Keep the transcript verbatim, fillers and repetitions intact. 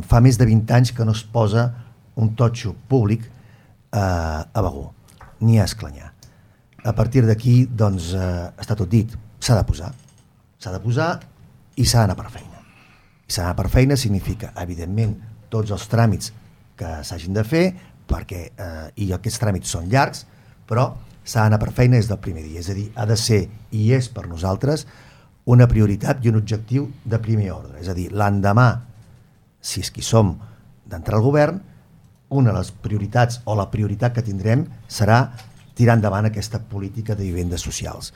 fa més de vint anys que no es posa un totxo públic eh, a Begur, ni a Esclanyà. A partir d'aquí, doncs, eh, està tot dit. S'ha de posar. S'ha de posar i s'ha d'anar per feina. I s'ha d'anar per feina significa, evidentment, tots els tràmits que s'hagin de fer, perquè, eh, i aquests tràmits són llargs, però s'ha d'anar per feina des del primer dia. És a dir, ha de ser, i és per nosaltres, una prioritat i un objectiu de primer ordre. És a dir, l'endemà, si és qui som d'entrar al govern, una de les prioritats o la prioritat que tindrem serà tirar endavant aquesta política de vivendes socials.